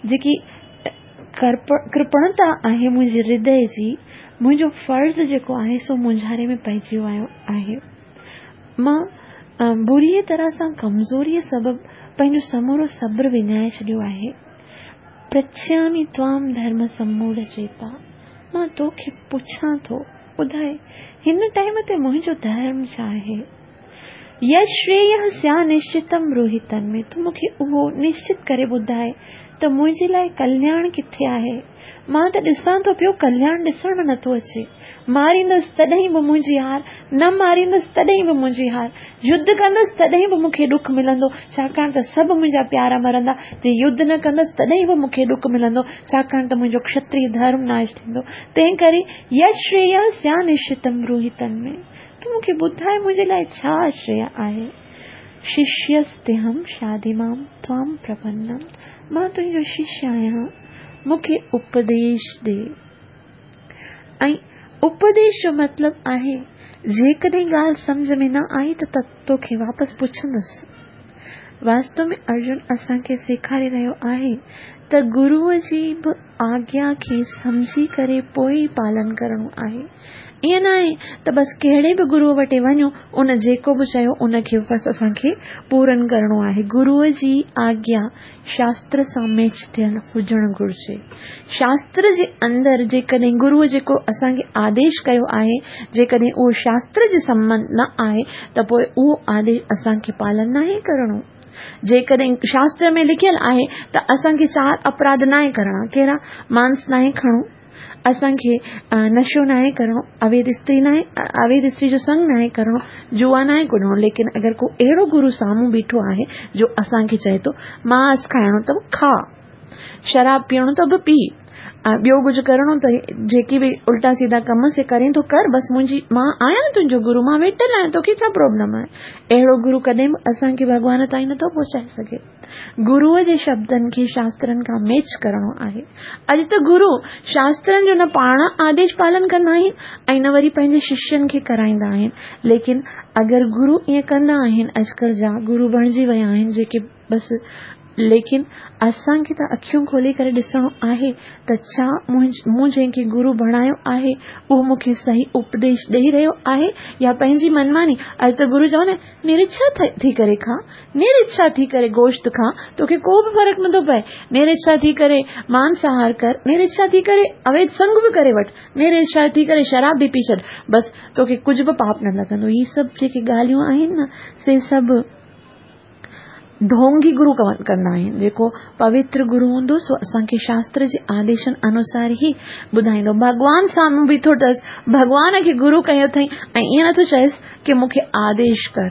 جيڪي ڪرپڻتا آهي منهنجي هردي جي، منهنجو فرض جيڪو آهي سو مونجهاري ۾ پئجي ويو آهي. مان بريءَ طرح سان ڪمزوريءَ سبب پنهنجو سمورو صبر وڃائي ڇڏيو آهي. پرڇامي توام ڌرم سموڙ چيتا، مان توکي پڇان ٿو ٻڌائي هن ٽائيم تي منهنجو ڌرم ڇا آهي؟ يشرييه سيا نشچتم بروهي تن ۾، تون مون کي اهو نشچت ڪري ٻڌائي ته منهنجي لاءِ ڪلياڻ ڪٿي آهي؟ مان ته ڏسان ٿو پيو ڪلياڻ ڏسڻ ۾ نٿو اچي، ماريندس تڏهن به منهنجي هار، نه ماريندس تڏهن به منهنجي هار، يڌ ڪندس تڏهن به مون کي ڏک ملندو، ڇاڪاڻ ته سڀ منهنجا پيارا مرندا، جي يڌ نه ڪندس تڏهن به مون کي ڏک ملندو، ڇاڪاڻ ته منهنجو کشتريه ڌرم ناش ٿيندو. تنهن ڪري يشرييه سيا نشچتم بروهي تن ۾، تون مون کي ٻڌائي منهنجي لاءِ ڇا شريه آهي؟ ششيستيهم شاديمام توام پرپنم، مان تنهنجو ششيه آهيان، مون کي اپديش ڏي. ۽ اپديش جو مطلب آهي جيڪڏهن ڳالهه سمجهه ۾ نه آئي ته توکي واپس پڇندس. واستو ۾ ارجن اسان کي سيکاري رهيو آهي ته گروءَ جي به آگيا کي سمجهي ڪري پوءِ ئي پالن ڪرڻو آهي. ائين نه آهي ته بس ڪهڙي به گروءَ وٽ وڃو، ان جيڪو به چيو ان کي بس اسان کي پورن ڪرڻو آهي. گروءَ جي آگيا شاستر سان ميچ ٿيل هجڻ گهرجي. شاستر جي اندر جيڪڏهن گروءَ جيڪو اسان کي آديش ڪيو آهي، جيڪڏهن اهو شاستر جي سنٻنڌ نه آهي ته پوءِ اهو آديش اسان کي پالن ناهي ڪرڻو. جيڪڏهن شاستر ۾ لکيل آهي ته اسان کي چار اپراڌ ناهي ڪرڻا، ڪهڙا؟ مانس ناهي کڻو، اسان کي نشو ناهي ڪرڻو، اويڌ استري ناهي، اويڌ استري جو سنگ ناهي ڪرڻو، جوا ناهي ڪڏڻو. ليڪن اگر ڪو اهڙو گرو سامهون بيٺو آهي جو اسان کي چئي ٿو مانس کائڻو ته به کا، شراب پيئڻو ته به پي، ٻيو ڪجهه ڪرڻو ته جيڪي به الٽا سيڌا ڪم سي ڪرين ٿو ڪر، بس منهنجي مان آهيان نه تنهنجو گرو، مان ويٺل آهيان، توکي ڇا پرابلم آهي؟ اهڙو گرو ڪڏهن به اسان کي ڀڳوان تائين نٿو پهچائي سگهي. گروءَ جي شبدن کي شاسترن کان ميچ ڪرڻو آهي. اڄ ته گرو شاسترن جو نه پاڻ آديش پالن ڪندا آهن ۽ نه وري پنهنجي ششين کي ڪرائيندا آهن. ليڪن اگر گرو ائين ڪندا آهن، اڄڪلهه جا گرو بڻجي ويا آهن جيڪي بس، ليڪن اسان کي ته اکيون کولي ڪري ڏسڻو آهي ته ڇا مون جنهن کي گرو بڻايو آهي اهو مون کي صحيح اپديش ڏيئي رهيو آهي يا پنهنجي منماني. اڄ ته گرو چوندا آهن نرڇا ٿي ڪري کا، نرڇا ٿي ڪري گوشت کا، توکي ڪو به فرق نٿو پئي، نرڇا ٿي ڪري مانساهار ڪر، نرڇا ٿي ڪري اويڌ سنگ به ڪري وٺ، نرڇا ٿي ڪري شراب به پي ڇڏ، بس توکي ڪجهه به پاپ نه لڳندو. هي سڀ جيڪي ڳالهيون آهن نه سي سڀ ڍونگي گرو ڪندا آهن. جيڪو پوتر گرو هوندو سو اسان کي شاستر جي آديشن انوسار ئي ٻڌائيندو. ڀڳوان سامهون بيٺو اٿس، ڀڳوان کي گرو ڪيو اٿئي ۽ ائين نٿو چئيس ڪه مون کي آديش ڪر،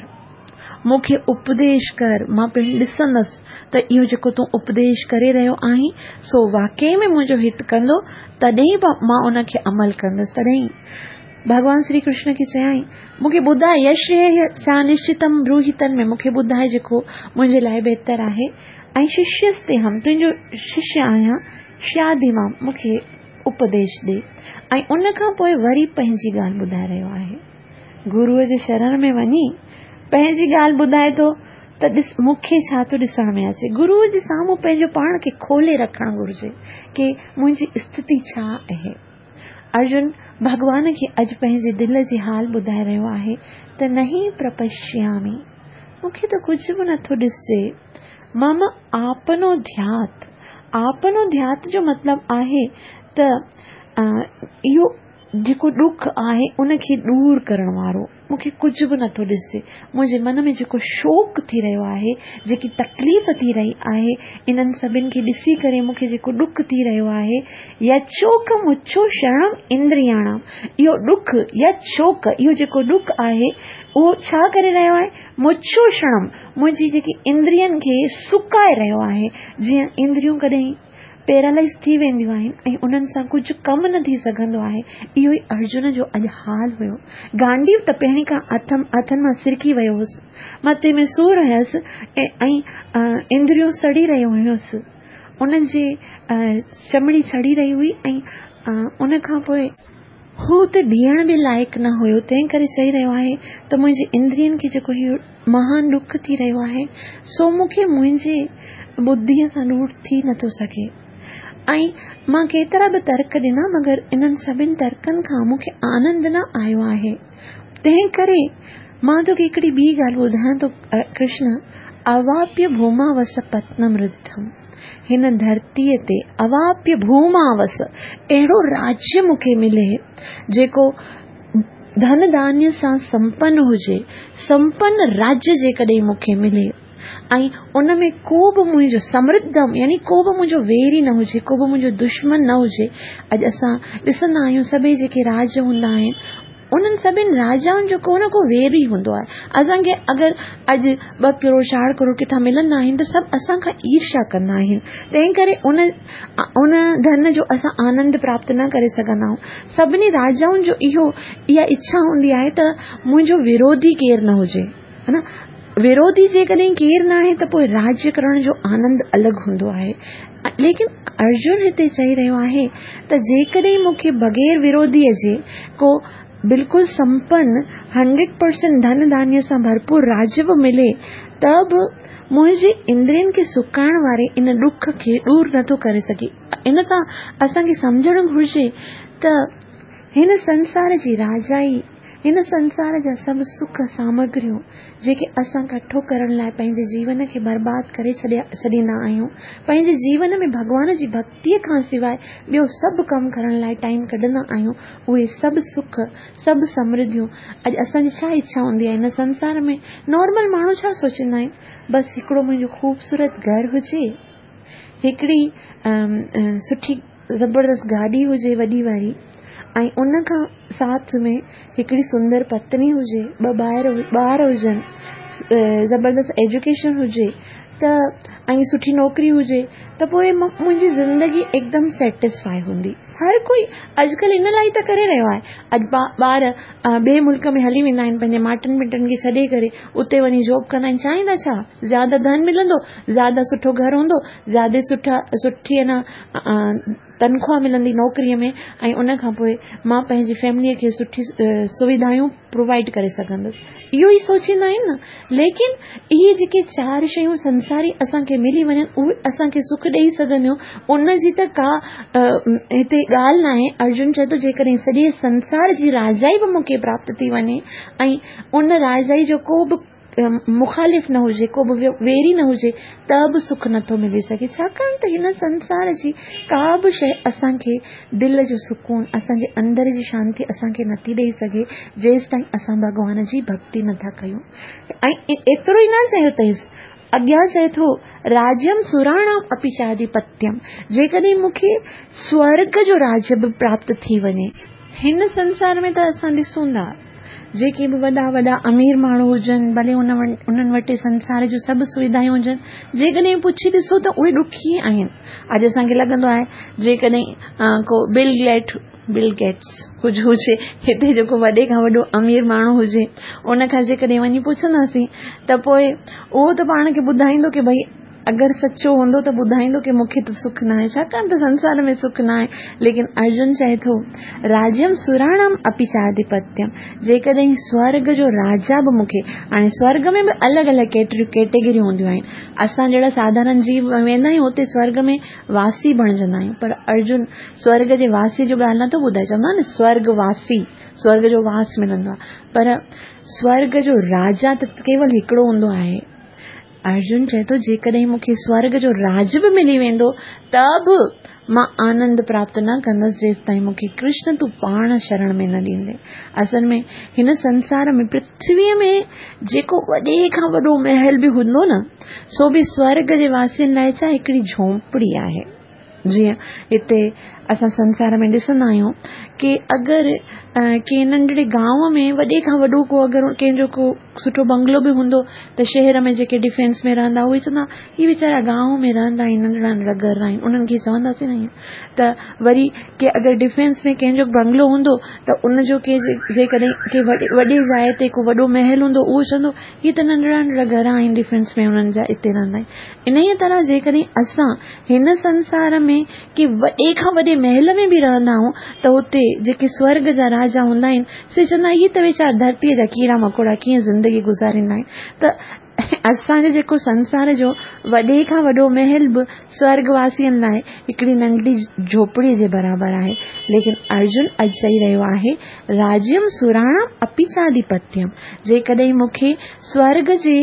مون کي اپديش ڪر، مان پڻ ڏسندس ته اهو جيڪو تون اپديش ڪري رهيو آهين سو واقعي ۾ منهنجو هت ڪندو، تڏهن به مان ان کي عمل ڪندس. تڏهن ڀڳوان شري ڪرشن کي چيائين مون کي ٻڌاء، يشريسا نشچتم بروهي تن ۾ مون کي ٻڌاء جيڪو منهنجي لاءِ بهتر آهي، ۽ ششيستي هم تنهنجو ششيه آهيان، شيادي مان مون کي اپديش ڏي. ۽ ان کان پوءِ وري پنهنجي ڳالهه ٻڌائي رهيو آهي. گروءَ جي شرڻ ۾ وڃي پنهنجي ڳالهه ٻڌائي ٿو ته ڏس مون کي ڇا ٿو ڏسڻ ۾ اچي. گروءَ جي سامهون پنهنجو پاڻ کي کولي رکڻ گهرجي ڪه منهنجي اسٿتي ڇا آهي. ارجن ڀڳوان کي اڄ پنهنجي دل جي حال ٻڌائي رهيو آهي ته نهي پرپشيامي، مون کي ته ڪجهه به نٿو ڏسجي. مم آپنو ڌيات، آپنو ڌيات جو مطلب آهي ته اهو جيڪو ڏک آهي ان کي دور ڪرڻ وارو، مون کي ڪجهه به نٿو ڏسجي. منهنجي من ۾ جيڪو شوڪ ٿي رهيو آهي، جيڪي تڪليف ٿي رهي آهي، انهن سڀني کي ڏسي ڪري مون کي جيڪو ڏک ٿي رهيو آهي، يچوڪ مڇو شرڻم اندرياڻم، اهو ڏک يچوڪ، اهو جيڪو ڏک آهي اهو ڇا ڪري رهيو آهي، مڇو شرڻم، منهنجي جيڪي اندرين کي سڪائي رهيو آهي. جيئن اندريون ڪڏهن پيرالائز ٿي وينديون آهن ۽ انهن سان ڪجهه ڪم نه ٿي سگهندو آهي، اهو ئي ارجن جو اڄ حال هيو. گانڊيو ته پهرين کان هٿ هٿن مان سرڪي ويو هوس، مٿي ۾ سور هيس ۽ اندريون سڙي رهيون هيس، انهن جي چمڙي سڙي رهي هئي ۽ ان کان پوءِ هو اتي بيهڻ به لائق نه هيو. تنهن ڪري چئي رهيو آهي ته منهنجي اندرين کي جيڪو هيءُ مهان ڏک ٿي رهيو آهي سو مون کي منهنجي ٻڌيءَ سان ڏور ٿي نٿو سگهي. ۽ مان ڪيترا به ترڪ ڏنا مگر انهن سڀني ترڪن کان مون کي آنند نه آيو آهي. تنهن ڪري مان توکي هڪڙي ٻي ڳالهه ٻڌايان ٿو ڪرشن، اواپيه ڀوما وس پتنم رڌم، هن ڌرتيءَ تي اواپيه ڀوما وس اهڙو راجيه مون کي ملي جيڪو ڌن ڌانيه سان سمپن هجي، سمپن راجيه جيڪڏهن مون کي ملي ۽ ان ۾ ڪو به منهنجو سمرڌم يعني ڪو به منهنجو ويري نه هجي، ڪو به منهنجو دشمن نه هجي. اڄ اسان ڏسندا آهيون سڀئي جيڪي راج هوندا آهن انهن سڀني راجائن جو ڪو نه ڪو ويري هوندو آهي. اسان کي اگر اڄ ٻه ڪروڙ چار ڪروڙ ڪٿان ملندا آهن ته سڀ اسان کان ايرشا ڪندا آهن، تنهن ڪري ان ان ڌن جو اسان آنند پراپت نه ڪري سگهندا آهيون. سڀني راجائن جو اهو اها اڇا هوندي آهي ته منهنجو وروڌي ڪير نه هجي، ها نه. وروڌي جيڪڏهن ڪير نه آهي ته پوءِ راجيه ڪرڻ جو آنند الڳ هوندو آهي. ليڪن ارجن هتي چئي رهيو آهي ته جيڪڏهن مون کي بغير وروڌيءَ جي ڪو بلڪل سمپن هنڊريڊ پرسينٽ ڌن ڌانيه سان ڀرپور راجيه به ملي ته به منهنجي اندرين کي سڪائڻ واري ان ڏک کي دور نٿو ڪري سگهي. ان سان اسان کي سمجهڻ گهرجي ته هن سنسار جي راجائي، هن سنسار جا سڀ سک سامگريون جيڪي اسان ڪٺو ڪرڻ لاءِ پنهنجي جيون کي برباد ڪري ڇڏيا ڇڏيندا آهيون، پنهنجي جيون ۾ ڀڳوان جي ڀڪتيءَ کان سواءِ ٻيو سڀ ڪم ڪرڻ لاءِ ٽائيم ڪڍندا آهيون، اهي سڀ سک سڀ سمرڌيون اڄ اسان جي ڇا اڇا هوندي آهي هن سنسار ۾؟ نارمل ماڻهو ڇا سوچيندا آهن، بس هڪڙو منهنجو خوبصورت گهر هجي، هڪڙي سٺي زبردست گاڏي هجي وڏي واري، ۽ ان کان ساٿ ۾ هڪڙي سندر پتني هجي، ٻه ٻار ٻار هجن، زبردست ايجوڪيشن هجي ته ۽ سٺي نوڪري هجي ته پوءِ منهنجي زندگي هڪدم سيٽسفائي هوندي. هر ڪوئي اڄڪلهه ان لاءِ ته ڪري رهيو آهي. اڄ ٻار ٻئي ملڪ ۾ هلي ويندا آهن پنهنجي ماٽن مٽن کي ڇڏي ڪري، اتي وڃي جاب ڪندا آهن. چاهيندا ڇا؟ زياده ڌن ملندو، زياده سٺو گهر هوندو، زياده سٺا سٺي نه تنخواهه ملندي نوڪريءَ ۾ ۽ ان کان پوءِ مان پنهنجي فيمليءَ کي سٺي سوڌايون پرووائيڊ ڪري سگهندس، اهو ئي سوچيندا آهن نه. ليڪن اهي جيڪي چار شيون سنساري اسان کي ملي وڃن اهي اسان کي سک ڏيئي سگهنديون، ان جي ته ڪا هتي ڳالهه نه آهي. ارجن چئي ٿو جيڪڏهن سڄي سنسار جي راجائي به مون کي پراپت ٿي وڃي ۽ ان راجائي جو ڪو به مخالف نه هجي، ڪو به ويري نه هجي، ته به سک نٿو ملي سگهي. ڇاڪاڻ ته هن سنسار جي ڪا به شيءِ اسان کي دل جو سڪون، اسان جي اندر جي شانتي اسان کي نٿي ڏيئي سگهي جيس تائين اسان ڀڳوان جي ڀڪتي نٿا ڪيون. ۽ ايترو ئي نه چيو اٿئيس، اڳيان چئي ٿو راجيم سراڻام اپي چاڌپتيم، جيڪڏهن مون کي سورڳ جو راجيه به پراپت ٿي وڃي. هن سنسار ۾ ته اسان ڏسون ٿا جيڪي به وڏا وڏا امير ماڻهو هجن، ڀلي انهن وٽ سنسار جون سڀ سوڌايون هجن، جيڪڏهن پڇي ڏسو ته اهي ڏکي آهن. اڄ اسان کي لڳندو آهي جيڪڏهن ڪو بل گيٽ بل گيٽس ڪجهه هجي، هتي جيڪو وڏي کان وڏو امير ماڻهو هجي، ان کان جيڪڏهن وڃي پڇنداسين ته پوءِ اهو ته پاڻ کي ٻڌائيندو ڪه ڀئي اگر سچو هوندو ته ٻڌائيندو ڪه مون کي ته سک نه آهي، ڇاڪاڻ ته سنسار ۾ سک نه آهي. ليڪن ارجن چئي ٿو راجيم سراڻم اپي چاڌپتيم، جيڪڏهن سورڳ جو راجا به مون کي، هاڻي سورڳ ۾ به الڳ الڳ ڪيٽيگريون هونديون آهن، اسان جهڙا ساڌارڻ جيو ويندا آهيون اتي سورڳ ۾ واسي بڻجندا آهيون، پر ارجن سورڳ جي واسي جو ڳالهه نٿو ٻڌائي، چوندا آهن نه سورڳ واسي، سورڳ جو واس ملندو آهي، پر سورڳ جو راجا ته ڪيول هڪڙو هوندو آهي. ارجن چئي ٿو جيڪڏهن مون کي سورڳ جو راج به ملي ويندو ته به مان آنند پراپت نه ڪندس جيستائين مون کي ڪرشن تون پاڻ شرڻ ۾ نه ڏيندي. اصل ۾ هن سنسار ۾ پرٿويءَ ۾ جيڪو وڏي کان وڏو محل به هوندو نه، سو به سورڳ جي واسين لاءِ ڇا هڪڙي جهوپڙي آهي. جيئن هتي اسان سنسار ۾ ڏسندا آهيون ڪه اگر ڪنهن ننڍڙي گانو ۾ وڏي کان وڏو ڪو اگر ڪنهن جو ڪو سٺو بنگلو به هوندو ته شهر ۾ جيڪي ڊفينس ۾ رهندا اهي چوندا هي ويچارا گانو ۾ رهندا آهن، ننڍڙا ننڍڙا گهر آهن، انهن کي چونداسين نه ائين. ته وري ڪه اگر ڊفينس ۾ ڪنهن جو بنگلو هوندو ته ان جو ڪي جيڪڏهن ڪنهن وڏي وڏي جاءِ تي ڪو وڏو محل هوندو اهو چوندو هي ته ننڍڙا ننڍڙا گهر آهن ڊفينس ۾ انهن جا اتي رهندا آهن. ان ئي طرح جيڪڏهن اسان هن سنسار ۾ ڪي وڏي کان وڏي محل ۾ به رهندا آهيون ته اتي جيڪي سورڳ جا راجا هوندا آهن سي چوندا هي ته ويچارا ڌرتيءَ جا ڪيڙا مڪوڙا ڪيئن زندگي گذاريندا آهن. ته اسان جو جيڪو سنسار جو وڏي کان وڏو محل به سورڳواسين لاءِ هڪڙي ننڍڙي جهوپڙيءَ جي برابر آهي. ليڪن ارجن اڄ چئي رهيو آهي راجيم سراڻام اپي چاڌپتيم، جيڪڏهن مون کي سورڳ جي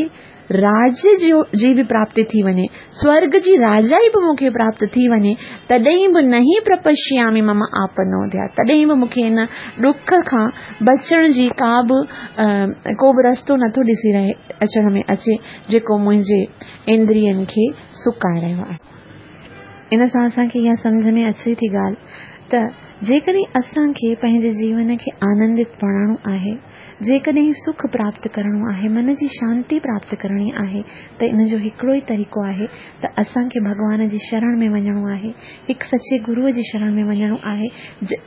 راجيه جو جي به پراپتي ٿي وڃي، سورڳ جي راجائي به مون کي پراپت ٿي وڃي، تڏهن به نهي پرپشيامي مم آپنوڌيا، تڏهن به مون کي هن ڏک کان بچڻ جي ڪا به ڪو به رستو نٿو ڏسي رهي اچڻ ۾ اچي جيڪو منهنجي اندرين کي سڪائي رهيو آهي. ان سان اسان کي اها سمجهه ۾ اچي ٿي ڳالهه ته جيڪڏهن اسان کي پنهنجي جيون کي آنندت بڻائڻو آهي، جيڪڏهن سک پراپت ڪرڻو آهي، من جي شانتي پراپت ڪرڻي آهي، ته ان جو هڪڙو ئي طريقو آهي ته اسان کي ڀڳوان جي شرڻ ۾ وڃڻو آهي، هڪ سچي گروءَ جي شرڻ ۾ وڃڻو آهي.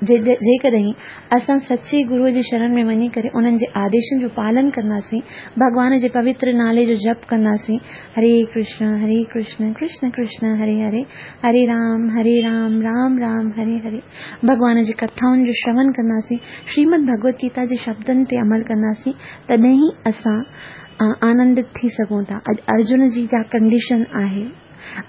جيڪڏهن اسان سچي گروءَ جي شرڻ ۾ وڃي ڪري انهن جي آديشن جو پالن ڪنداسين، ڀڳوان جي پوتر نالي جو جپ ڪنداسين، هري ڪرشن هري ڪرشن ڪرشن ڪرشن هري هري، هري رام هري رام رام رام هري هري، ڀڳوان جي ڪٿائن جو شرون ڪنداسين، شريمد ڀڳوت گيتا جي شبدن تي عمل ڪنداسين، تڏهن ئي اسان آنندت ٿي سگهون ٿا. اڄ ارجن جي جا ڪنڊيشن آهي،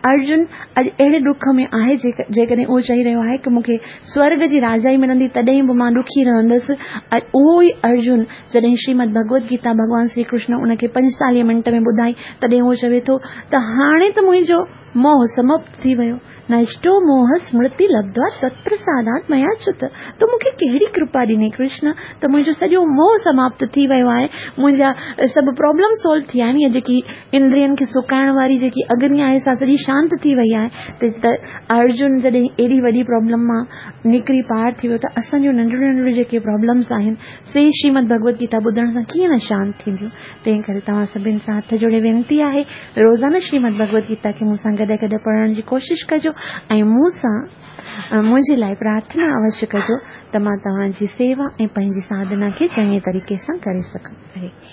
ارجن اڄ اهڙي ڏک ۾ آهي جيڪڏهن اهو چئي رهيو آهي ڪه مون کي سورڳ جي راجائي ملندي تڏهن به مان ڏکي رهندس. اهو ئي ارجن جڏهن شريمد ڀڳوت گيتا ڀڳوان شري ڪرشن ان کي پنجيتاليهه منٽ ۾ ٻڌائي، تڏهن اهو چوي ٿو ته هاڻي ته منهنجو موهه سماپت ٿي ويو، نشٽو موهه سمرتي لبڌوا تتپرسادات ميا چت، تو مون کي ڪهڙي ڪرپا ڏني ڪرشن ته منهنجو سڄو موهه سماپت ٿي ويو آهي، منهنجا سڀ پرابلم سالو ٿي ويا آهن، يا جيڪي اندرين کي سڪائڻ واري جيڪي اگني آهي سا سڄي شانت ٿي وئي آهي. ته ارجن جڏهن ايڏي وڏي پرابلم مان نڪري پار ٿي ويو ته اسان جون ننڍڙيون ننڍڙيون جيڪي پرابلمس آهن سي شريمد ڀڳوت گيتا ٻڌڻ سان ڪيئن نه شانت ٿينديون. تنهن ڪري توهان سڀني سان هٿ جوڙي وينتي آهي روزانه شريمد ڀڳوت گيتا کي مون سان گڏ گڏ پڙهڻ جي ڪوشش ڪجو ۽ مون سان منهنجي لاءِ پرارٿنا اوشيه ڪجو ته مان توهان جي سيوا ۽ پنهنجي ساڌنا کي چڱي طريقي سان ڪري سگهان.